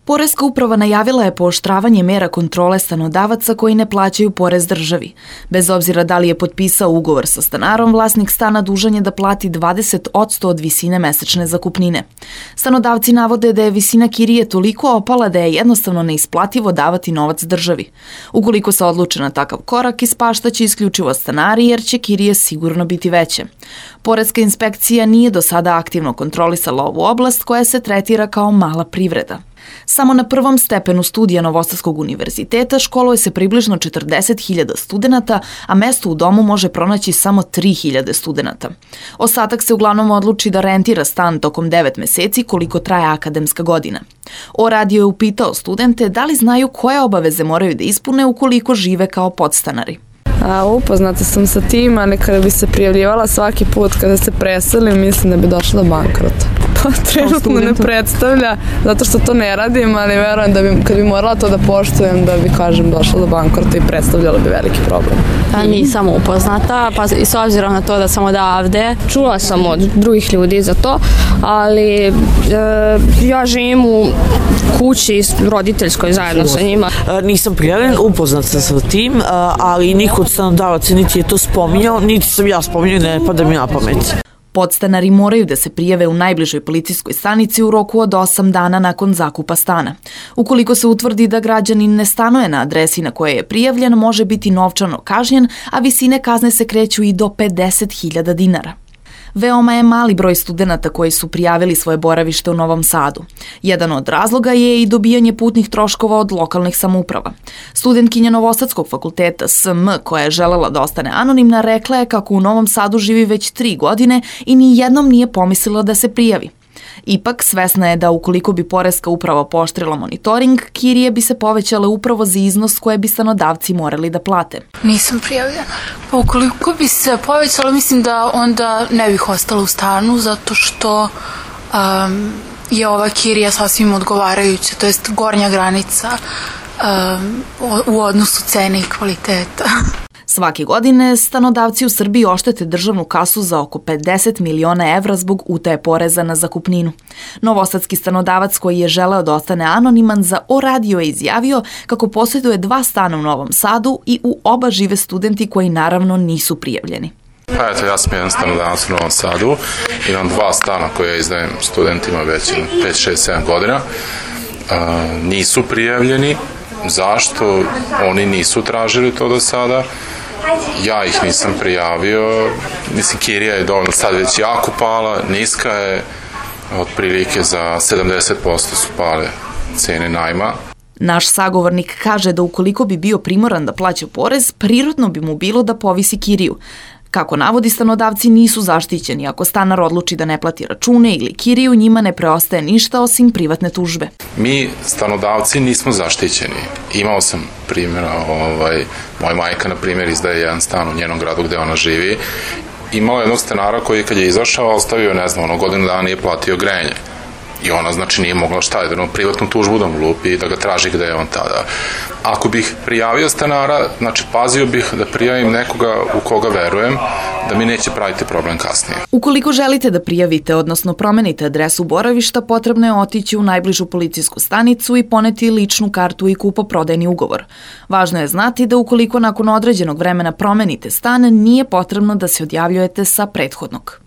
Poreska uprava najavila je pooštravanje mera kontrole stanodavaca koji ne plaćaju porez državi. Bez obzira da li je potpisao ugovor sa stanarom, vlasnik stana dužan je da plati 20% od visine mesečne zakupnine. Stanodavci navode da je visina kirije toliko opala da je jednostavno neisplativo davati novac državi. Ukoliko se odluče na takav korak, ispaštaće isključivo stanari jer će kirije sigurno biti veće. Poreska inspekcija nije do sada aktivno kontrolisala ovu oblast koja se tretira kao mala privreda. Samo na prvom stepenu studija Novosadskog univerziteta školuje se približno 40.000 studenata, a mesto u domu može pronaći samo 3.000 studenata. Ostatak se uglavnom odluči da rentira stan tokom 9 meseci koliko traje akademska godina. O-radio je upitao studente da li znaju koje obaveze moraju da ispune ukoliko žive kao podstanari. Upoznata sam sa tim, ali kada bi se prijavljivala svaki put kada se preselim, mislim da bi došla do bankrota. Pa trenutno ne predstavlja, zato što to ne radim, ali verujem da bi, kad bi morala to da poštujem, da bi, kažem, došla do bankrota i predstavljalo bi veliki problem. Nisam upoznata, pa i s obzirom na to da sam odavde. Čula sam od drugih ljudi za to, ali ja živim u kući roditeljskoj zajedno sa njima. Nisam prijavljen, upoznat sam sa tim, ali niko od stanodavaca niti je to spominjao, niti sam ja spominjao, ne pada mi na pamet. Podstanari moraju da se prijave u najbližoj policijskoj stanici u roku od 8 dana nakon zakupa stana. Ukoliko se utvrdi da građanin ne stanuje na adresi na kojoj je prijavljen, može biti novčano kažnjen, a visine kazne se kreću i do 50.000 dinara. Veoma je mali broj studenata koji su prijavili svoje boravište u Novom Sadu. Jedan od razloga je i dobijanje putnih troškova od lokalnih samouprava. Studentkinja Novosadskog fakulteta SM, koja je želela da ostane anonimna, rekla je kako u Novom Sadu živi već 3 godine i ni jednom nije pomislila da se prijavi. Ipak, svesna je da ukoliko bi Poreska uprava pooštrila monitoring, kirije bi se povećale upravo za iznos koje bi stanodavci morali da plate. Nisam prijavljena. Pa ukoliko bi se povećalo, mislim da onda ne bih ostala u stanu, zato što je ova kirija sasvim odgovarajuća, to jest gornja granica u odnosu cene i kvaliteta. Svake godine stanodavci u Srbiji oštete državnu kasu za oko 50 miliona evra zbog utaje poreza na zakupninu. Novosadski stanodavac koji je želeo da ostane anoniman za O-radio je izjavio kako posjeduje 2 stana u Novom Sadu i u oba žive studenti koji naravno nisu prijavljeni. Pa eto, ja sam jedan stanodavac u Novom Sadu, imam 2 stana koje izdajem studentima već 5, 6, 7 godina. Nisu prijavljeni. Zašto? Oni nisu tražili to do sada. Ja ih nisam prijavio. Mislim, kirija je dovoljno sad već jako pala, niska je, otprilike za 70% su pale cene najma. Naš sagovornik kaže da ukoliko bi bio primoran da plaća porez, prirodno bi mu bilo da povisi kiriju. Kako navodi, stanodavci nisu zaštićeni. Ako stanar odluči da ne plati račune ili kiriju, njima ne preostaje ništa osim privatne tužbe. Mi, stanodavci, nismo zaštićeni. Imao sam primjera, moja majka, na primjer, izdaje jedan stan u njenom gradu gde ona živi. Imala jednog stanara koji kad je izašao, ostavio, ne znam, godinu dana nije platio grejanje. I ona, znači, nije mogla privatnu tužbu da mu lupi i da ga traži gde je on tada. Ako bih prijavio stanara, znači, pazio bih da prijavim nekoga u koga verujem, da mi neće praviti problem kasnije. Ukoliko želite da prijavite, odnosno promenite adresu boravišta, potrebno je otići u najbližu policijsku stanicu i poneti ličnu kartu i kupoprodajni ugovor. Važno je znati da ukoliko nakon određenog vremena promenite stan, nije potrebno da se odjavljujete sa prethodnog.